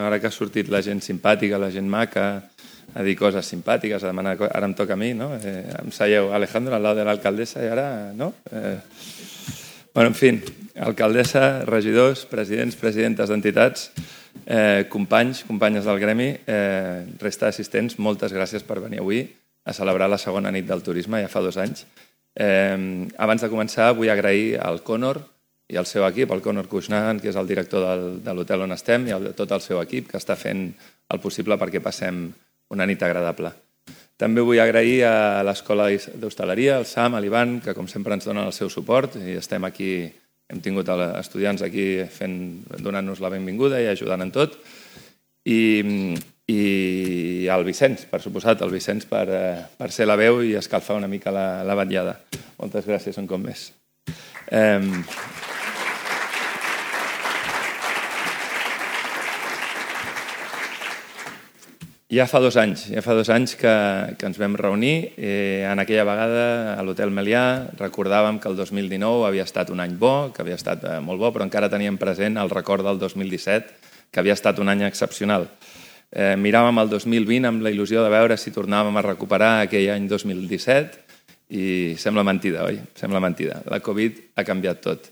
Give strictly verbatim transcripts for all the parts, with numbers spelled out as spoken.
Ara que ha sortit la gent simpàtica, la gent maca, a dir coses simpàtiques, a demanar... Ara em toca a mi, no? Eh, em seieu Alejandro al lado de l'alcaldessa i ara, no? Eh... Bueno, en fi, alcaldessa, regidors, presidents, presidentes d'entitats, eh, companys, companyes del gremi, eh, resta d'assistents, moltes gràcies per venir avui a celebrar la segona nit del turisme, ja fa dos anys. Eh, abans de començar, vull agrair al Conor i al seu equip, el Conor Cushnahan, que és el director del, de l'hotel on estem, i el, tot el seu equip, que està fent el possible perquè passem una nit agradable. També vull agrair a l'Escola d'Hostaleria, al Sam, a l'Ivan, que com sempre ens donen el seu suport, i estem aquí, hem tingut estudiants aquí fent, donant-nos la benvinguda i ajudant en tot, i, i al Vicenç, per suposat, el Vicenç per, per ser la veu i escalfar una mica la, la vetllada. Moltes gràcies un cop més. Eh, Ja fa dos anys, ja fa dos anys que, que ens vam reunir. Eh, en aquella vegada a l'Hotel Melià recordàvem que el dos mil dinou havia estat un any bo, que havia estat eh, molt bo, però encara teníem present el record del dos mil disset, que havia estat un any excepcional. Eh, miràvem el dos mil vint amb la il·lusió de veure si tornàvem a recuperar aquell any dos mil disset i sembla mentida, oi? Sembla mentida. La Covid ha canviat tot.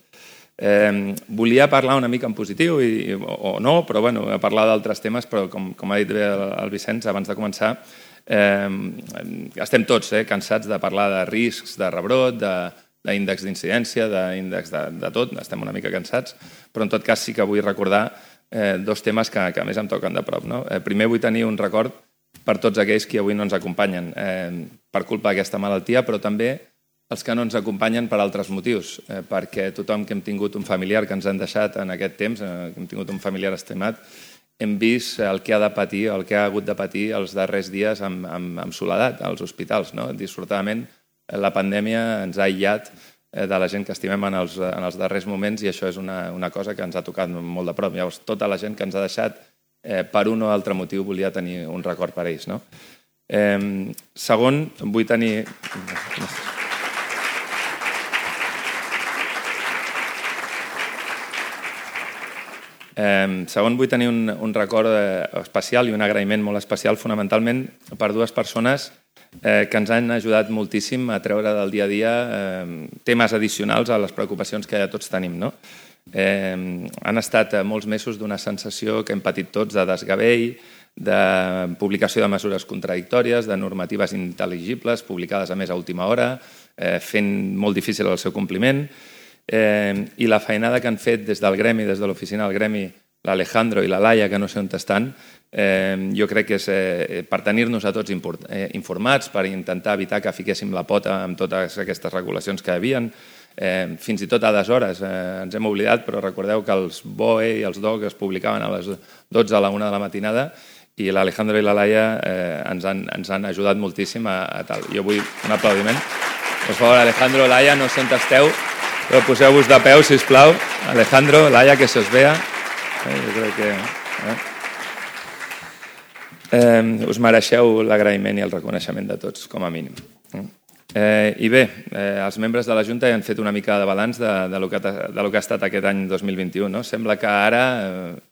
Eh, volia parlar una mica en positiu i, o no, però bueno, parlar d'altres temes, però com, com ha dit bé el, el Vicenç abans de començar, eh, estem tots eh, cansats de parlar de riscs, de rebrot, d'índex d'incidència, d'índex de, de tot, estem una mica cansats, però en tot cas sí que vull recordar eh, dos temes que, que a més em toquen de prop. No? Eh, primer vull tenir un record per tots aquells que avui no ens acompanyen eh, per culpa d'aquesta malaltia, però també els que no ens acompanyen per altres motius, eh, perquè tothom que hem tingut un familiar que ens han deixat en aquest temps, eh, que hem tingut un familiar estimat, hem vist el que ha de patir, el que ha hagut de patir els darrers dies amb, amb, amb soledat als hospitals. No? Dissortadament, la pandèmia ens ha aïllat eh, de la gent que estimem en els, en els darrers moments i això és una, una cosa que ens ha tocat molt de prop. Llavors, tota la gent que ens ha deixat, eh, per un o altre motiu, volia tenir un record per ells. No? Eh, segon, vull tenir... Eh, segon, vull tenir un, un record eh, especial i un agraïment molt especial, fonamentalment per dues persones eh, que ens han ajudat moltíssim a treure del dia a dia eh, temes addicionals a les preocupacions que ja tots tenim. No? Eh, han estat molts mesos d'una sensació que hem patit tots de desgavell, de publicació de mesures contradictòries, de normatives intel·ligibles publicades a més a última hora, eh, fent molt difícil el seu compliment. Eh, i la feinada que han fet des del gremi, des de l'oficina del gremi, l'Alejandro i la Laia, que no sé on estan, eh, jo crec que és eh, per tenir-nos a tots import, eh, informats, per intentar evitar que fiquéssim la pota amb totes aquestes regulacions que hi havia. Eh, fins i tot a deshores eh, ens hem oblidat, però recordeu que els B O E i els D O G es publicaven a les dotze a la una de la matinada i l'Alejandro i la Laia eh, ens, han, ens han ajudat moltíssim a, a tal. Jo vull un aplaudiment. Per favor, Alejandro, Laia, no sé on esteu, però poseu-vos de peu, sisplau. Alejandro, Laia, que se os vea. Eh, jo crec que... Eh? Eh, us mereixeu l'agraïment i el reconeixement de tots, com a mínim. Eh, I bé, eh, els membres de la Junta ja han fet una mica de balanç de, de, lo que, de lo que ha estat aquest any dos mil vint-i-u. No? Sembla que ara,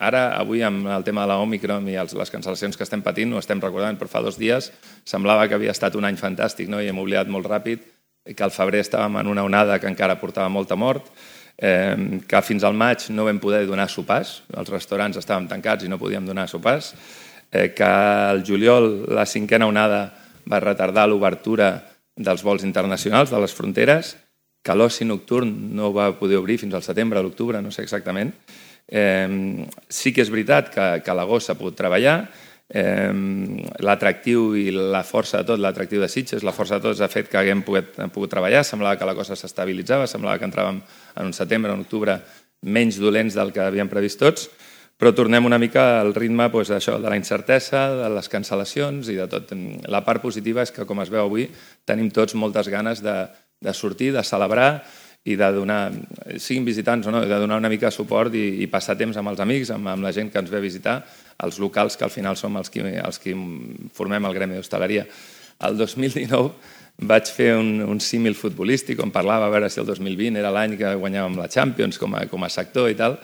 ara, avui, amb el tema de l'Òmicron i els, les cancel·lacions que estem patint, ho estem recordant, però fa dos dies semblava que havia estat un any fantàstic, no? I hem oblidat molt ràpid que al febrer estàvem en una onada que encara portava molta mort, eh, que fins al maig no vam poder donar sopars, els restaurants estàvem tancats i no podíem donar sopars, eh, que al juliol la cinquena onada va retardar l'obertura dels vols internacionals de les fronteres, que l'oci nocturn no va poder obrir fins al setembre o l'octubre, no sé exactament. Eh, sí que és veritat que, que a l'agost s'ha pogut treballar, Eh, l'atractiu i la força de tot, l'atractiu de Sitges, la força de tots ha fet que haguem pogut, pogut treballar, semblava que la cosa s'estabilitzava, semblava que entràvem en un setembre o un octubre menys dolents del que havíem previst tots, però tornem una mica al ritme doncs, això, de la incertesa, de les cancel·lacions i de tot. La part positiva és que, com es veu avui, tenim tots moltes ganes de, de sortir, de celebrar i de donar, siguin visitants o no, de donar una mica de suport i, i passar temps amb els amics, amb, amb la gent que ens ve a visitar, els locals que al final som els que, els que formem el gremi d'hostaleria. El dos mil dinou vaig fer un, un símil futbolístic on parlava a veure si el dos mil vint era l'any que guanyàvem la Champions com a, com a sector i tal,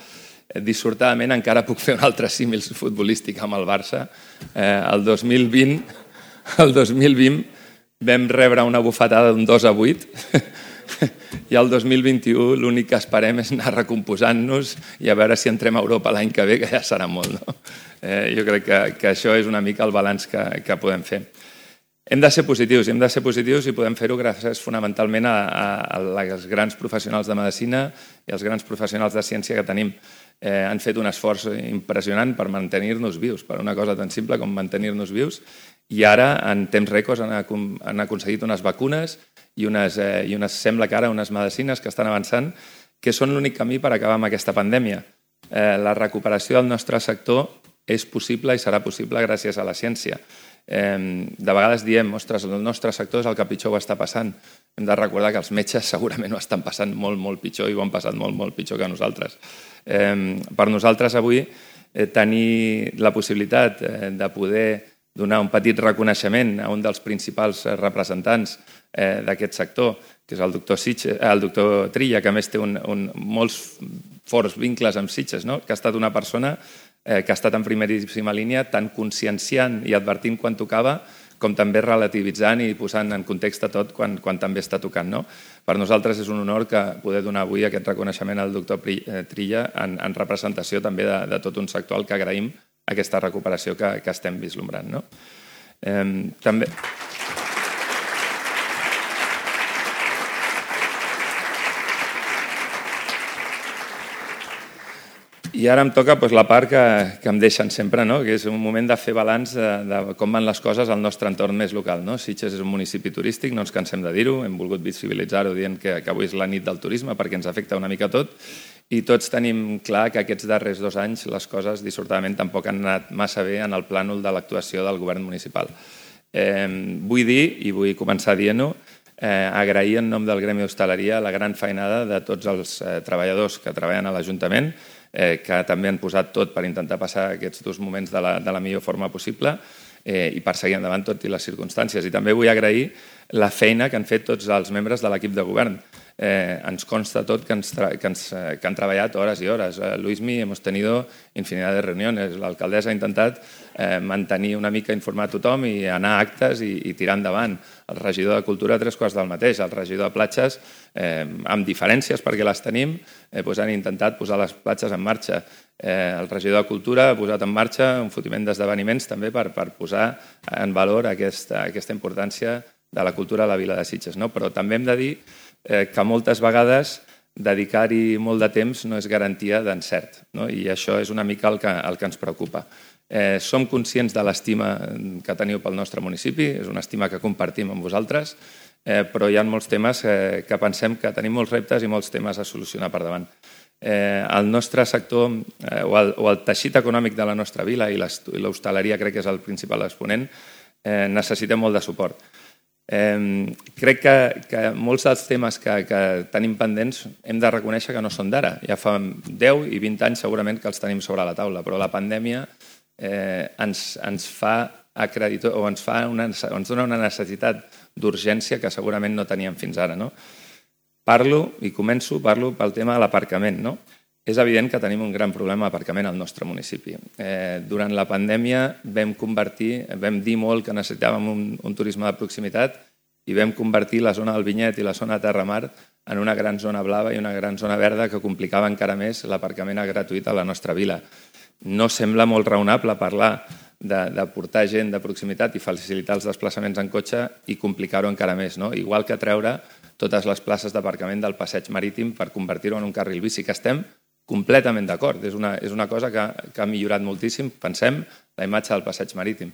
dissortadament encara puc fer un altre símil futbolístic amb el Barça. El dos mil vint, el dos mil vint vam rebre una bufetada d'un dos a vuit i el dos mil vint-i-u l'únic que esperem és anar recomposant-nos i a veure si entrem a Europa l'any que ve, que ja serà molt. No? Eh, jo crec que, que això és una mica el balanç que, que podem fer. Hem de ser positius, hem de ser positius i podem fer-ho gràcies fonamentalment a, a, a els grans professionals de medicina i als grans professionals de ciència que tenim. Eh, han fet un esforç impressionant per mantenir-nos vius, per una cosa tan simple com mantenir-nos vius, i ara, en temps rècords, han, han aconseguit unes vacunes i unes, eh, i unes, sembla que ara, unes medicines que estan avançant, que són l'únic camí per acabar amb aquesta pandèmia. Eh, la recuperació del nostre sector és possible i serà possible gràcies a la ciència. Eh, de vegades diem, ostres, el nostre sector és el que pitjor ho està passant. Hem de recordar que els metges segurament ho estan passant molt, molt pitjor i ho han passat molt, molt pitjor que nosaltres. Eh, per nosaltres avui eh, tenir la possibilitat eh, de poder donar un petit reconeixement a un dels principals representants eh, d'aquest sector, que és el doctor, Sitges, el doctor Trilla, que a més té un, un, molts forts vincles amb Sitges, no? Que ha estat una persona eh, que ha estat en primeríssima línia tant conscienciant i advertint quan tocava, com també relativitzant i posant en context a tot quan, quan també està tocant. No? Per nosaltres és un honor que poder donar avui aquest reconeixement al doctor Trilla en, en representació també de, de tot un sector al que agraïm aquesta recuperació que, que estem vislumbrant. No? Eh, també... I ara em toca doncs, la part que, que em deixen sempre, no? Que és un moment de fer balanç de, de com van les coses al nostre entorn més local. No? Sitges és un municipi turístic, no ens cansem de dir-ho, hem volgut visibilitzar-ho dient que, que avui és la nit del turisme perquè ens afecta una mica tot, i tots tenim clar que aquests darrers dos anys les coses dissortadament tampoc han anat massa bé en el plànol de l'actuació del govern municipal. Eh, vull dir, i vull començar dient-ho, eh, agrair en nom del Gremi d'Hostaleria la gran feinada de tots els eh, treballadors que treballen a l'Ajuntament, eh, que també han posat tot per intentar passar aquests dos moments de la, de la millor forma possible eh, i per seguir endavant tot i les circumstàncies. I també vull agrair la feina que han fet tots els membres de l'equip de govern. Eh, ens consta tot que, ens que, ens, que han treballat hores i hores. Eh, Luismi, hemos tenido infinidad de reuniones. L'alcaldessa ha intentat eh, mantenir una mica informat tothom i anar a actes i, i tirar endavant. El regidor de Cultura, tres quarts del mateix. El regidor de Platges, eh, amb diferències perquè les tenim, eh, doncs han intentat posar les platges en marxa. Eh, el regidor de Cultura ha posat en marxa un fotiment d'esdeveniments també per, per posar en valor aquesta, aquesta importància de la cultura a la vila de Sitges. No? Però també hem de dir eh, que moltes vegades dedicar-hi molt de temps no és garantia d'encert, no? I això és una mica el que, el que ens preocupa. Eh, som conscients de l'estima que teniu pel nostre municipi, és una estima que compartim amb vosaltres, eh, però hi ha molts temes eh, que pensem que tenim molts reptes i molts temes a solucionar per davant. Eh, el nostre sector eh, o, el, o el teixit econòmic de la nostra vila i l'hostaleria crec que és el principal exponent, eh, necessitem molt de suport. Eh, crec que, que molts dels temes que, que tenim pendents hem de reconèixer que no són d'ara. Ja fa deu i vint anys segurament que els tenim sobre la taula, però la pandèmia eh, ens, ens fa acreditor, o ens, fa una, ens dona una necessitat d'urgència que segurament no teníem fins ara. No? Parlo, i començo, parlo pel tema de l'aparcament. No? És evident que tenim un gran problema d'aparcament al nostre municipi. Eh, durant la pandèmia vam convertir, vam dir molt que necessitàvem un, un turisme de proximitat i vam convertir la zona del Vinyet i la zona de Terramar en una gran zona blava i una gran zona verda que complicava encara més l'aparcament gratuït a la nostra vila. No sembla molt raonable parlar de, de portar gent de proximitat i facilitar els desplaçaments en cotxe i complicar-ho encara més. No? Igual que treure totes les places d'aparcament del passeig marítim per convertir-ho en un carril bici, que estem completament d'acord. És una, és una cosa que, que ha millorat moltíssim, pensem, la imatge del passeig marítim,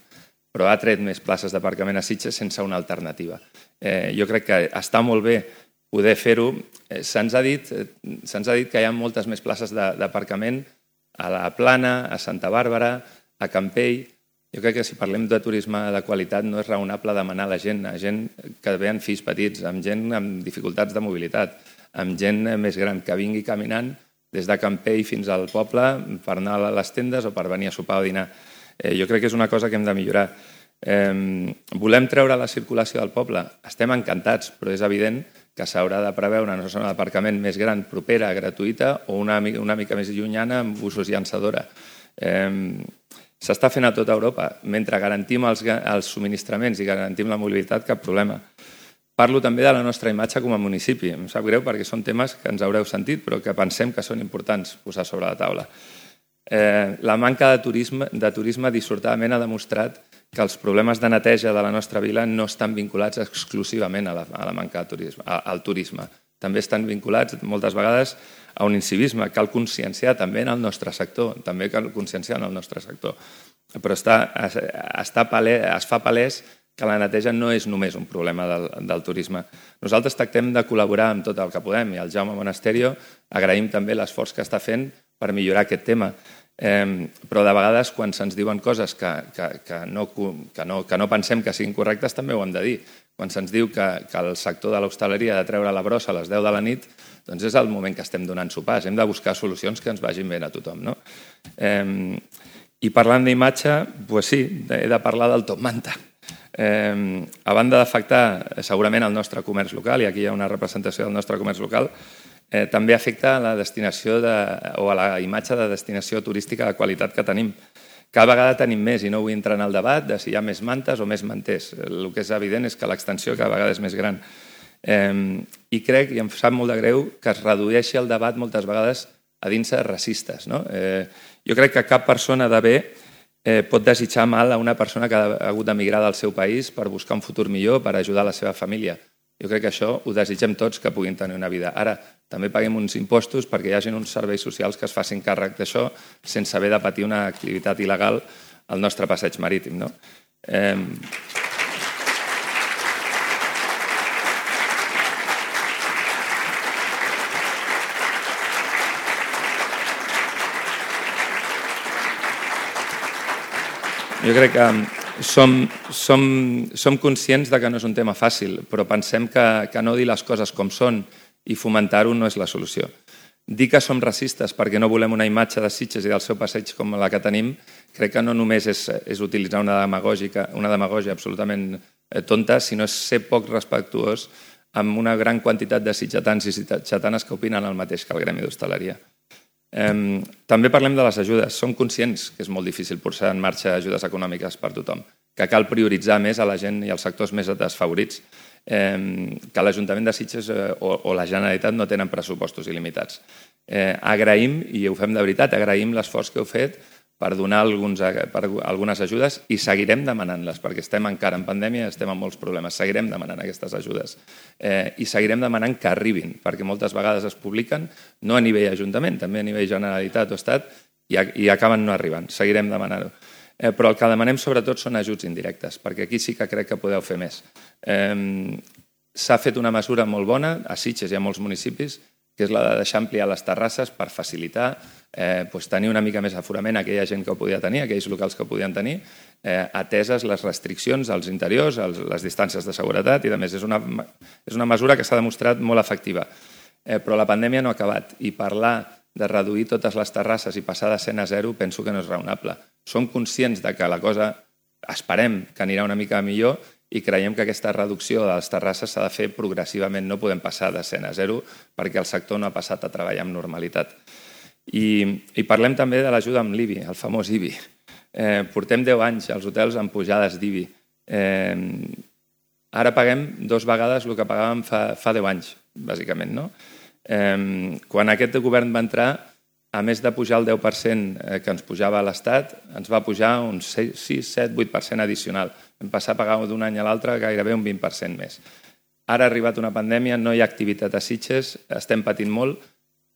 però ha tret més places d'aparcament a Sitges sense una alternativa. Eh, jo crec que està molt bé poder fer-ho. Eh, Se'ns ha dit, eh, se'ns ha dit que hi ha moltes més places d'aparcament a la Plana, a Santa Bàrbara, a Campell. Jo crec que si parlem de turisme de qualitat no és raonable demanar a la gent, a gent que ve amb fills petits, amb gent amb dificultats de mobilitat, amb gent més gran que vingui caminant des de Campell fins al poble per anar a les tendes o per venir a sopar o dinar. Eh, jo crec que és una cosa que hem de millorar. Eh, volem treure la circulació del poble? Estem encantats, però és evident que s'haurà de preveure una zona d'aparcament més gran, propera, gratuïta, o una, una mica més llunyana amb usos llançadora. Eh, S'està fent a tota Europa. Mentre garantim els, els subministraments i garantim la mobilitat, cap problema. Parlo també de la nostra imatge com a municipi. Em sap greu perquè són temes que ens haureu sentit, però que pensem que són importants posar sobre la taula. Eh, la manca de turisme, de turisme dissortadament ha demostrat que els problemes de neteja de la nostra vila no estan vinculats exclusivament a la, a la manca de turisme, a, al turisme. També estan vinculats moltes vegades a un incivisme. Cal conscienciar també en el nostre sector, també cal conscienciar en el nostre sector. Però està, està palès, es fa palès que la neteja no és només un problema del, del turisme. Nosaltres tractem de col·laborar amb tot el que podem i el Jaume Monasterio agraïm també l'esforç que està fent per millorar aquest tema. Eh, però de vegades quan se'ns diuen coses que, que, que, no, que, no, que no pensem que siguin correctes també ho hem de dir. Quan se'ns diu que, que el sector de l'hostaleria ha de treure la brossa a les deu de la nit, doncs és el moment que estem donant sopars. Hem de buscar solucions que ens vagin bé a tothom. No? Eh, I parlant d'imatge, doncs sí, he de parlar del top manta. Eh, a banda d'afectar segurament el nostre comerç local, i aquí hi ha una representació del nostre comerç local, eh, també afecta a la destinació de, o a la imatge de destinació turística de qualitat que tenim. Cada vegada tenim més, i no vull entrar en el debat de si hi ha més mantes o més manters. El que és evident és que l'extensió cada vegada és més gran. Eh, I crec, i em sap molt de greu, que es redueixi el debat moltes vegades a dins de racistes. No? Eh, jo crec que cap persona de bé eh, pot desitjar mal a una persona que ha hagut d'emigrar del seu país per buscar un futur millor, per ajudar la seva família. Jo crec que això ho desitgem tots, que puguin tenir una vida. Ara, també paguem uns impostos perquè hi hagi uns serveis socials que es facin càrrec d'això sense haver de patir una activitat il·legal al nostre passeig marítim. No? Eh... Jo crec que som, som, som conscients de que no és un tema fàcil, però pensem que, que no dir les coses com són i fomentar-ho no és la solució. Dir que som racistes perquè no volem una imatge de Sitges i del seu passeig com la que tenim, crec que no només és, és utilitzar una demagògia, una demagògia absolutament tonta, sinó és ser poc respectuós amb una gran quantitat de sitgetans i sitgetanes que opinen el mateix que el gremi d'hostaleria. Eh, també parlem de les ajudes. Som conscients que és molt difícil posar en marxa ajudes econòmiques per tothom, que cal prioritzar més a la gent i als sectors més desfavorits, eh, que l'Ajuntament de Sitges eh, o, o la Generalitat no tenen pressupostos il·limitats. Eh, agraïm, i ho fem de veritat, agraïm l'esforç que heu fet per donar alguns, per algunes ajudes i seguirem demanant-les, perquè estem encara en pandèmia i estem amb molts problemes. Seguirem demanant aquestes ajudes eh, i seguirem demanant que arribin, perquè moltes vegades es publiquen, no a nivell Ajuntament, també a nivell Generalitat o Estat, i, i acaben no arribant. Seguirem demanant-ho. Eh, però el que demanem sobretot són ajuts indirectes, perquè aquí sí que crec que podeu fer més. Eh, S'ha fet una mesura molt bona, a Sitges i a molts municipis, que és la de deixar ampliar les terrasses per facilitar eh, doncs tenir una mica més aforament a aquella gent que ho podia tenir, aquells locals que ho podien tenir, eh, ateses les restriccions als interiors, als, les distàncies de seguretat i, a més, és una, és una mesura que s'ha demostrat molt efectiva. Eh, però la pandèmia no ha acabat i parlar de reduir totes les terrasses i passar de cent a zero penso que no és raonable. Som conscients de que la cosa, esperem que anirà una mica millor, i creiem que aquesta reducció de les terrasses s'ha de fer progressivament. No podem passar de cent a zero perquè el sector no ha passat a treballar amb normalitat. I, i parlem també de l'ajuda amb l'I B I, el famós I B I. Eh, portem deu anys als hotels amb pujades d'I B I. Eh, ara paguem dues vegades el que pagàvem fa, fa deu anys, bàsicament. No? Eh, quan aquest govern va entrar, a més de pujar el deu per cent que ens pujava a l'Estat, ens va pujar un sis, set, vuit per cent addicional. Vam passar a pagar d'un any a l'altre gairebé un vint per cent més. Ara ha arribat una pandèmia, no hi ha activitat a Sitges, estem patint molt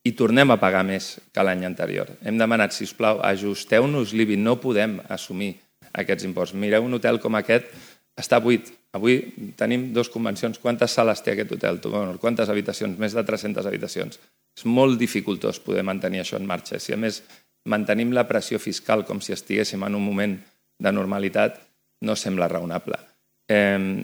i tornem a pagar més que l'any anterior. Hem demanat, sisplau, ajusteu-nos l'I B I, no podem assumir aquests imposts. Mireu, un hotel com aquest està buit. Avui tenim dues convencions. Quantes sales té aquest hotel? Quantes habitacions? Més de tres-centes habitacions. És molt dificultós poder mantenir això en marxa. Si a més mantenim la pressió fiscal com si estiguéssim en un moment de normalitat, no sembla raonable. Eh,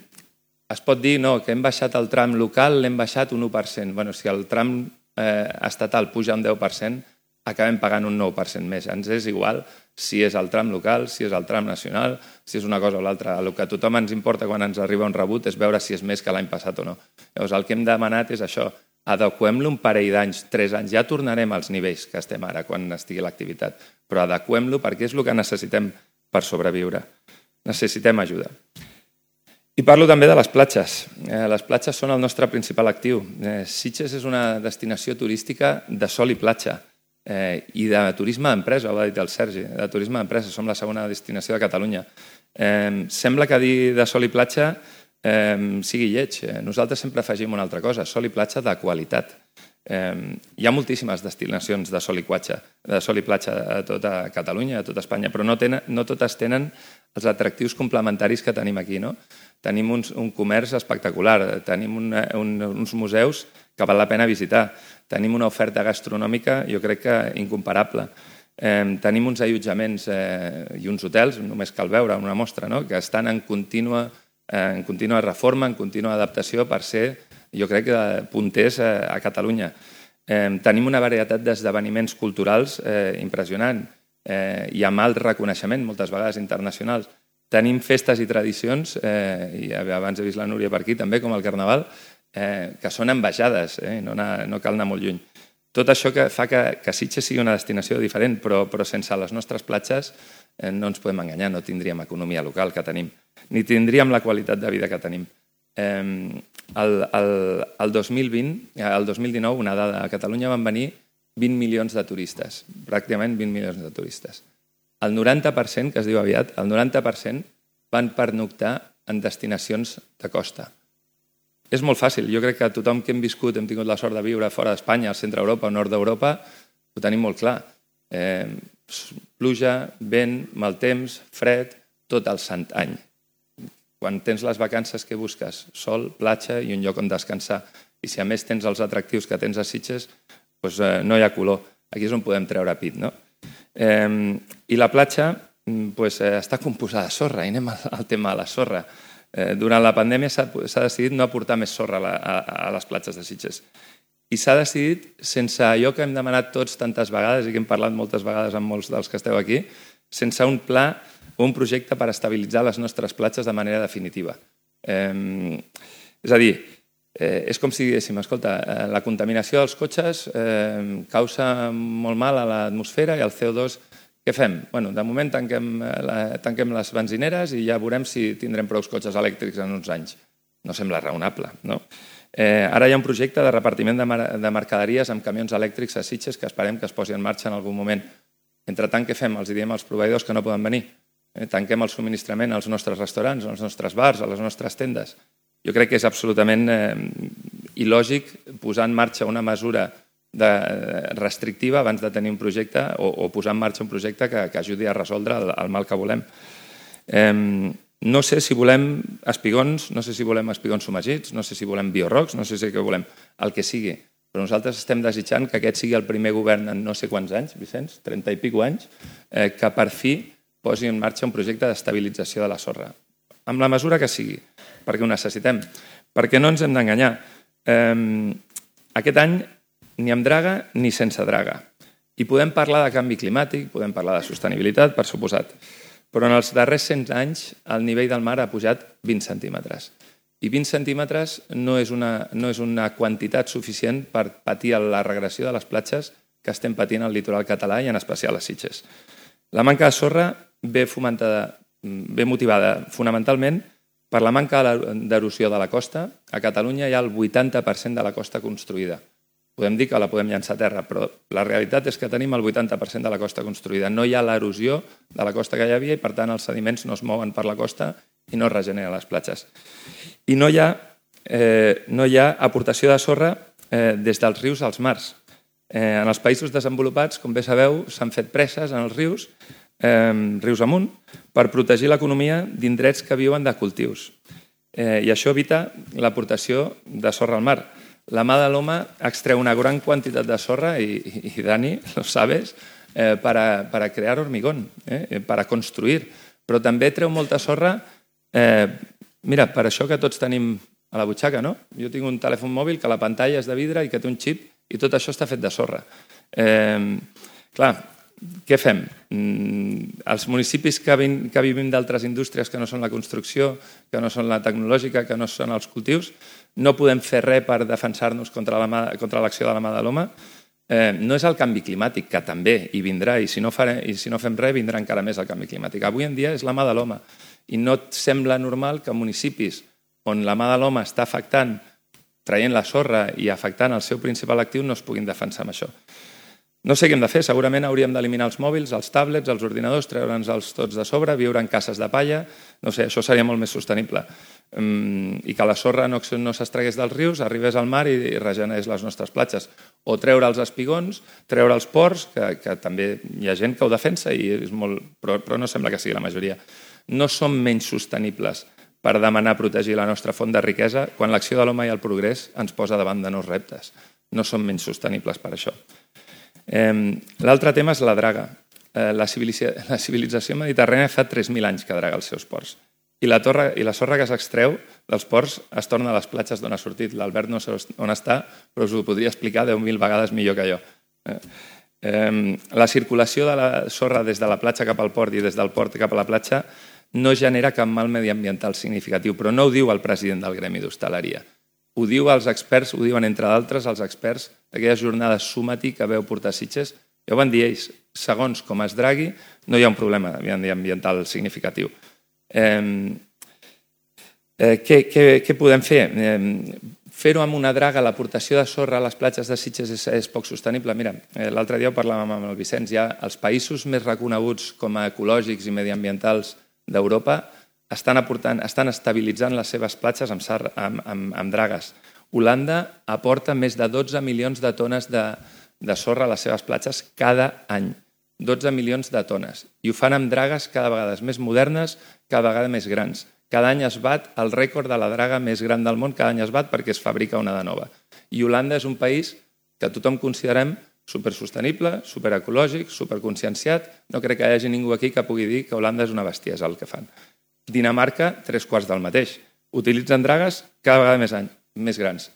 es pot dir no, que hem baixat el tram local, l'hem baixat un u per cent. Bueno, si el tram eh, estatal puja un deu per cent, acabem pagant un nou per cent més. Ens és igual si és el tram local, si és el tram nacional, si és una cosa o l'altra. El que a tothom ens importa quan ens arriba un rebut és veure si és més que l'any passat o no. Llavors, el que hem demanat és això, adequem-lo un parell d'anys, tres anys, ja tornarem als nivells que estem ara quan estigui l'activitat, però adequem-lo perquè és el que necessitem per sobreviure. Necessitem ajuda. I parlo també de les platges. Les platges són el nostre principal actiu. Sitges és una destinació turística de sol i platja i de turisme d'empresa, ho ha dit el Sergi, de turisme d'empresa. Som la segona destinació de Catalunya. Sembla que dir de sol i platja sigui lleig. Nosaltres sempre afegim una altra cosa, sol i platja de qualitat. Hi ha moltíssimes destinacions de sol i platja, de sol i platja a tota Catalunya, a tota Espanya, però no, tenen, no totes tenen els atractius complementaris que tenim aquí. No? Tenim un, un comerç espectacular, tenim un, un, uns museus que val la pena visitar, tenim una oferta gastronòmica, jo crec que incomparable. Eh, tenim uns allotjaments eh, i uns hotels, només cal veure una mostra, no? Que estan en contínua, eh, en contínua reforma, en contínua adaptació per ser, jo crec, punters eh, a Catalunya. Eh, tenim una varietat d'esdeveniments culturals eh, impressionant eh, i amb alt reconeixement, moltes vegades internacionals. Tenim festes i tradicions, eh, i abans he vist la Núria per aquí també, com el Carnaval, eh, que són envejades, eh, no, anar, no cal anar molt lluny. Tot això que fa que, que Sitges sigui una destinació diferent, però, però sense les nostres platges eh, no ens podem enganyar, no tindríem economia local que tenim, ni tindríem la qualitat de vida que tenim. Eh, el, el, el dos mil vint, el dos mil dinou, una dada, a Catalunya van venir vint milions de turistes, pràcticament vint milions de turistes. El noranta per cent, que es diu aviat, el noranta per cent van pernoctar en destinacions de costa. És molt fàcil. Jo crec que tothom que hem viscut, hem tingut la sort de viure fora d'Espanya, al centre d'Europa o nord d'Europa, ho tenim molt clar. Eh, pluja, vent, mal temps, fred, tot el sant any. Quan tens les vacances que busques, sol, platja i un lloc on descansar. I si a més tens els atractius que tens a Sitges, doncs eh, no hi ha color. Aquí és on podem treure pit, no? Eh, I la platja pues, eh, està composada de sorra, i anem al tema de la sorra. Eh, durant la pandèmia s'ha decidit no aportar més sorra a, la, a, a les platges de Sitges. I s'ha decidit, sense allò que hem demanat tots tantes vegades i que hem parlat moltes vegades amb molts dels que esteu aquí, sense un pla o un projecte per estabilitzar les nostres platges de manera definitiva. Eh, és a dir, eh, és com si diguéssim, escolta, eh, la contaminació dels cotxes eh, causa molt mal a l'atmosfera i el C O dos, què fem? Bueno, de moment tanquem, la, tanquem les benzineres i ja veurem si tindrem prou cotxes elèctrics en uns anys. No sembla raonable, no? Eh, ara hi ha un projecte de repartiment de, mar de mercaderies amb camions elèctrics a Sitges que esperem que es posi en marxa en algun moment. Entre tant, què fem? Els diem als proveïdors que no poden venir. Eh, tanquem el subministrament als nostres restaurants, als nostres bars, a les nostres tendes. Jo crec que és absolutament eh, il·lògic posar en marxa una mesura de, restrictiva abans de tenir un projecte o, o posar en marxa un projecte que, que ajudi a resoldre el, el mal que volem. Eh, no sé si volem espigons, no sé si volem espigons submergits, no sé si volem biorocs, no sé si què volem, el que sigui. Però nosaltres estem desitjant que aquest sigui el primer govern en no sé quants anys, Vicenç, trenta i pico anys, eh, que per fi posi en marxa un projecte d'estabilització de la sorra. Amb la mesura que sigui, perquè ho necessitem. Perquè no ens hem d'enganyar. Eh, aquest any ni amb draga ni sense draga. I podem parlar de canvi climàtic, podem parlar de sostenibilitat, per suposat. Però en els darrers cent anys el nivell del mar ha pujat vint centímetres. I vint centímetres no és una, no és una quantitat suficient per patir la regressió de les platges que estem patint al litoral català i en especial a Sitges. La manca de sorra ve, fomentada, ve motivada fonamentalment per la manca d'erosió de la costa. A Catalunya hi ha el vuitanta per cent de la costa construïda. Podem dir que la podem llançar a terra, però la realitat és que tenim el vuitanta per cent de la costa construïda. No hi ha l'erosió de la costa que hi havia i, per tant, els sediments no es mouen per la costa i no es regeneren les platges. I no hi ha, eh, no hi ha aportació de sorra eh, des dels rius als mars. Eh, en els països desenvolupats, com bé sabeu, s'han fet preses en els rius, eh, rius amunt, per protegir l'economia d'indrets que viuen de cultius. Eh, I això evita l'aportació de sorra al mar. La mà de l'home extreu una gran quantitat de sorra, i, i, i Dani, lo sabes, eh, para, para crear hormigón, eh, para construir. Però també treu molta sorra, eh, mira, per això que tots tenim a la butxaca, no? Jo tinc un telèfon mòbil que la pantalla és de vidre i que té un xip i tot això està fet de sorra. Eh, Clar, què fem? Els municipis que vivim d'altres indústries que no són la construcció, que no són la tecnològica, que no són els cultius, no podem fer res per defensar-nos contra l'acció de la mà de l'home. No és el canvi climàtic, que també hi vindrà, i si no fem res vindrà encara més el canvi climàtic. Avui en dia és la mà de l'home, i no et sembla normal que municipis on la mà de l'home està afectant, traient la sorra i afectant el seu principal actiu, no es puguin defensar amb això. No sé què hem de fer, segurament hauríem d'eliminar els mòbils, els tablets, els ordinadors, treure'ns-els tots de sobre, viure en cases de palla, no sé, això seria molt més sostenible. I que la sorra no s'extragués dels rius, arribés al mar i regenerés les nostres platges. O treure els espigons, treure els ports, que també hi ha gent que ho defensa, però no sembla que sigui la majoria. No som menys sostenibles per demanar protegir la nostra font de riquesa quan l'acció de l'home i el progrés ens posa davant de nous reptes. No som menys sostenibles per això. L'altre tema és la draga. La civilització mediterrània fa tres mil anys que draga els seus ports. I la sorra que s'extreu dels ports es torna a les platges d'on ha sortit. L'Albert no sé on està, però us ho podria explicar deu mil vegades millor que jo. La circulació de la sorra des de la platja cap al port i des del port cap a la platja no genera cap mal mediambiental significatiu, però no ho diu el president del Gremi d'Hostaleria. Ho diu els experts, ho diuen entre d'altres els experts d'aquelles jornades Sumati que veu portar a Sitges. Ja ho van dir ells, segons com es dragui, no hi ha un problema mediambiental significatiu. Què podem fer? Fer-ho amb una draga, l'aportació de sorra a les platges de Sitges és poc sostenible. Mira, l'altre dia ho parlàvem amb el Vicenç, ja els països més reconeguts com a ecològics i mediambientals d'Europa estan aportant, estan estabilitzant les seves platges amb dragues. Holanda aporta més de dotze milions de tones de sorra a les seves platges cada any. dotze milions de tones. I ho fan amb dragues cada vegada més modernes, cada vegada més grans. Cada any es bat el rècord de la draga més gran del món, cada any es bat perquè es fabrica una de nova. I Holanda és un país que tothom considerem supersostenible, superecològic, superconscienciat. No crec que hi hagi ningú aquí que pugui dir que Holanda és una bestiesa el que fan. Dinamarca, tres quarts del mateix. Utilitzen dragues cada vegada més, any, més grans.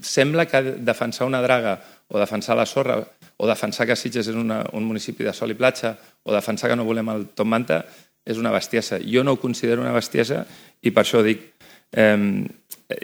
Sembla que defensar una draga o defensar la sorra o defensar que Sitges és una, un municipi de sol i platja o defensar que no volem el top manta és una bestiesa. Jo no ho considero una bestiesa i per això dic, eh,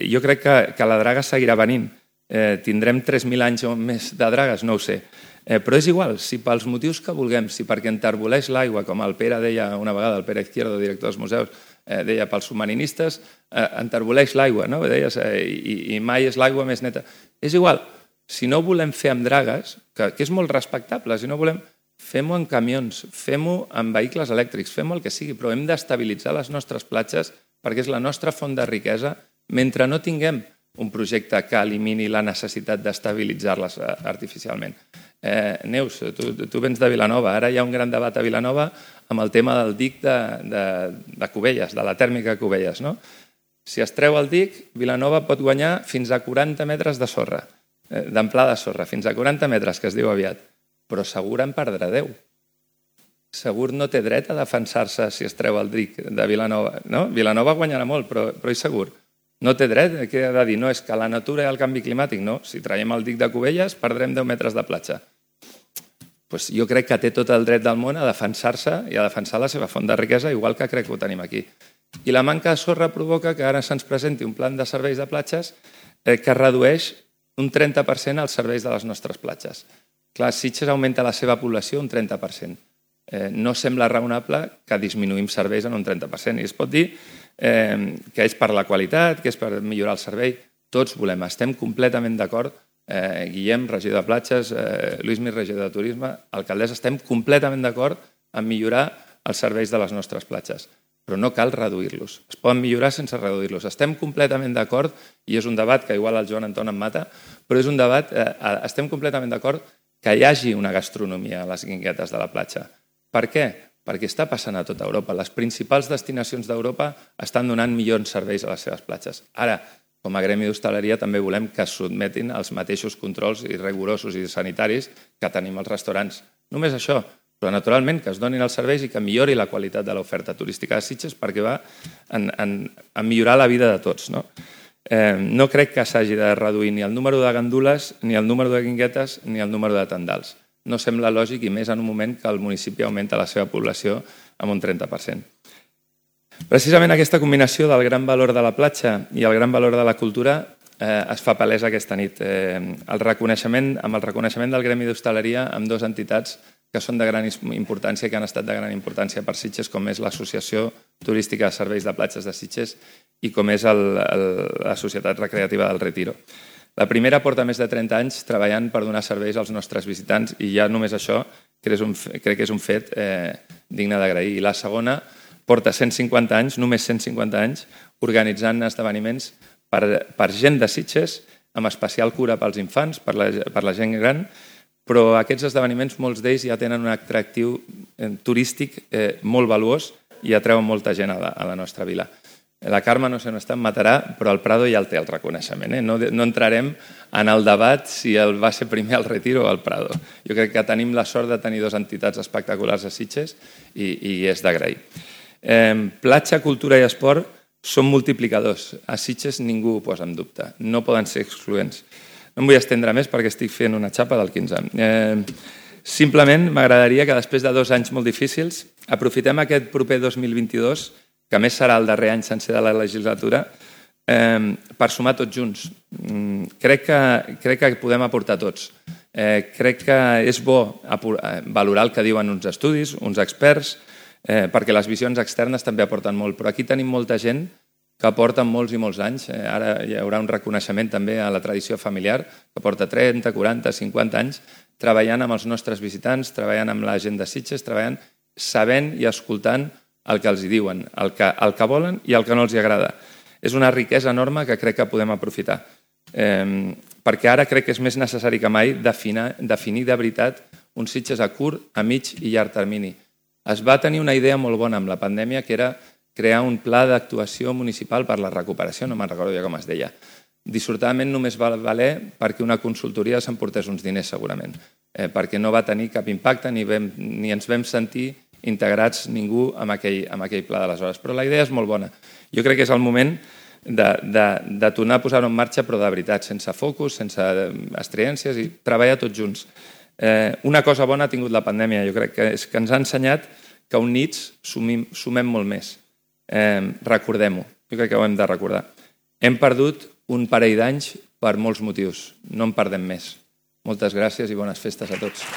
jo crec que, que la draga seguirà venint. Eh, tindrem tres mil anys o més de dragues, no ho sé. Eh, però és igual, si pels motius que vulguem, si perquè enterboleix l'aigua, com el Pere deia una vegada, el Pere Izquierdo, director dels museus, eh, deia pels submarinistes, eh, enterboleix l'aigua, no? Deies, eh, i, i mai és l'aigua més neta. És igual, si no volem fer amb dragues, que, que és molt respectable, si no volem, fem-ho en camions, fem-ho amb vehicles elèctrics, fem-ho el que sigui, però hem d'estabilitzar les nostres platges perquè és la nostra font de riquesa mentre no tinguem un projecte que elimini la necessitat d'estabilitzar-les artificialment. Eh, Neus, tu, tu vens de Vilanova, ara hi ha un gran debat a Vilanova amb el tema del dic de, de, de Cubelles, de la tèrmica de Cubelles. No? Si es treu el dic, Vilanova pot guanyar fins a quaranta metres de sorra, eh, d'amplada de sorra, fins a quaranta metres, que es diu aviat, però segur en perdrà deu. Segur no té dret a defensar-se si es treu el dic de Vilanova. No? Vilanova guanyarà molt, però, però és segur. No té dret, què ha de dir? No, és que la natura i el canvi climàtic, no. Si traiem el dic de Cubelles, perdrem deu metres de platja. Pues jo crec que té tot el dret del món a defensar-se i a defensar la seva font de riquesa, igual que crec que ho tenim aquí. I la manca de sorra provoca que ara se'ns presenti un plan de serveis de platges que redueix un trenta per cent els serveis de les nostres platges. Clar, Sitges augmenta la seva població un trenta per cent. No sembla raonable que disminuïm serveis en un trenta per cent. I es pot dir que és per la qualitat, que és per millorar el servei. Tots volem, estem completament d'acord. Guillem, regidor de platges, Luismi, regidor de turisme, alcaldessa, estem completament d'acord en millorar els serveis de les nostres platges. Però no cal reduir-los. Es poden millorar sense reduir-los. Estem completament d'acord, i és un debat que igual el Joan Anton em mata, però és un debat, estem completament d'acord que hi hagi una gastronomia a les guinguetes de la platja. Per què? Perquè està passant a tota Europa. Les principals destinacions d'Europa estan donant millors serveis a les seves platges. Ara, com a gremi d'hostaleria, també volem que es sotmetin als mateixos controls i rigorosos i sanitaris que tenim als restaurants. Només això, però naturalment que es donin els serveis i que millori la qualitat de l'oferta turística de Sitges perquè va en, en, en millorar la vida de tots. No, eh, no crec que s'hagi de reduir ni el número de gandules, ni el número de guinguetes, ni el número de tendals. no sembla lògic, i més en un moment que el municipi augmenta la seva població amb un trenta per cent. Precisament aquesta combinació del gran valor de la platja i el gran valor de la cultura eh, es fa palesa aquesta nit. Eh, el reconeixement, amb el reconeixement del Gremi d'Hostaleria amb dues entitats que són de gran importància, que han estat de gran importància per Sitges, com és l'Associació Turística de Serveis de Platges de Sitges i com és el, el, la Societat Recreativa del Retiro. La primera porta més de trenta anys treballant per donar serveis als nostres visitants i ja només això crec, és un, crec que és un fet eh, digne d'agrair. I la segona porta cent cinquanta anys, només cent cinquanta anys, organitzant esdeveniments per, per gent de Sitges, amb especial cura pels infants, per la, per la gent gran, però aquests esdeveniments, molts d'ells ja tenen un atractiu eh, turístic eh, molt valuós i atreuen molta gent a la, a la nostra vila. La Carme no sé on està, em matarà, però el Prado ja el té el reconeixement. Eh? No, no entrarem en el debat si el va ser primer el Retiro o el Prado. Jo crec que tenim la sort de tenir dues entitats espectaculars a Sitges i, i és d'agrair. Eh, platja, cultura i esport són multiplicadors. A Sitges ningú ho posa en dubte. No poden ser excloents. No em vull estendre més perquè estic fent una xapa del quinze. Eh, simplement m'agradaria que després de dos anys molt difícils aprofitem aquest proper dos mil vint-i-dos, que més serà el darrer any sencer de la legislatura, eh, per sumar tots junts. Mm, crec, que, crec que podem aportar tots. Eh, crec que és bo valorar el que diuen uns estudis, uns experts, eh, perquè les visions externes també aporten molt, però aquí tenim molta gent que porten molts i molts anys. Eh, ara hi haurà un reconeixement també a la tradició familiar, que porta trenta, quaranta, cinquanta anys, treballant amb els nostres visitants, treballant amb la gent de Sitges, treballant, sabent i escoltant el que els hi diuen, el que, el que volen i el que no els hi agrada. És una riquesa enorme que crec que podem aprofitar, eh, perquè ara crec que és més necessari que mai definir, definir de veritat un Sitges a curt, a mig i llarg termini. Es va tenir una idea molt bona amb la pandèmia, que era crear un pla d'actuació municipal per la recuperació, no me'n recordo ja com es deia. Dissortadament només va valer perquè una consultoria s'emportés uns diners segurament, eh, perquè no va tenir cap impacte ni, vam, ni ens vam sentir integrats ningú amb aquell, amb aquell pla d'aleshores. Però la idea és molt bona. Jo crec que és el moment de, de, de tornar a posar-ho en marxa, però de veritat, sense focus, sense estreències i treballar tots junts. Eh, una cosa bona ha tingut la pandèmia, jo crec que és que ens ha ensenyat que units sumim, sumem molt més. Eh, recordem-ho, jo crec que ho hem de recordar. Hem perdut un parell d'anys per molts motius, no en perdem més. Moltes gràcies i bones festes a tots.